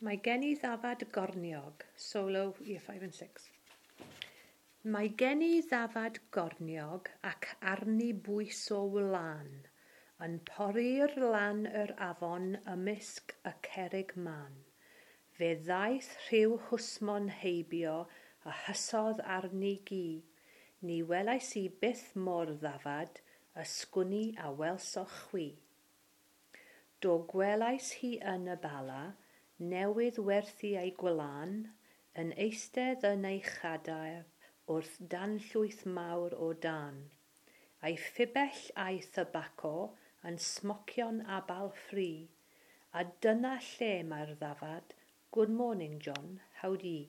Mae gen i ddafad gorniog, solo year 5 and 6. Mae gen i ddafad gorniog ac arni bwys o wlân, yn pori'r lan yr afon ymysg y cerrig mân. Fe ddaeth rhyw hwsmon heibio a hysodd arni gi. Ni welais i byth mo'r ddafad, ysgwn i a welsoch chwi. Do gwelais hi yn y Bala, newydd werthu ei gwlân, yn eistedd yn ei chadair wrth danllwyth mawr o dân. Ei phibell a'i thybaco yn smocio'n abal ffri, a dyna lle mae'r ddafad, good morning John, how d'ye?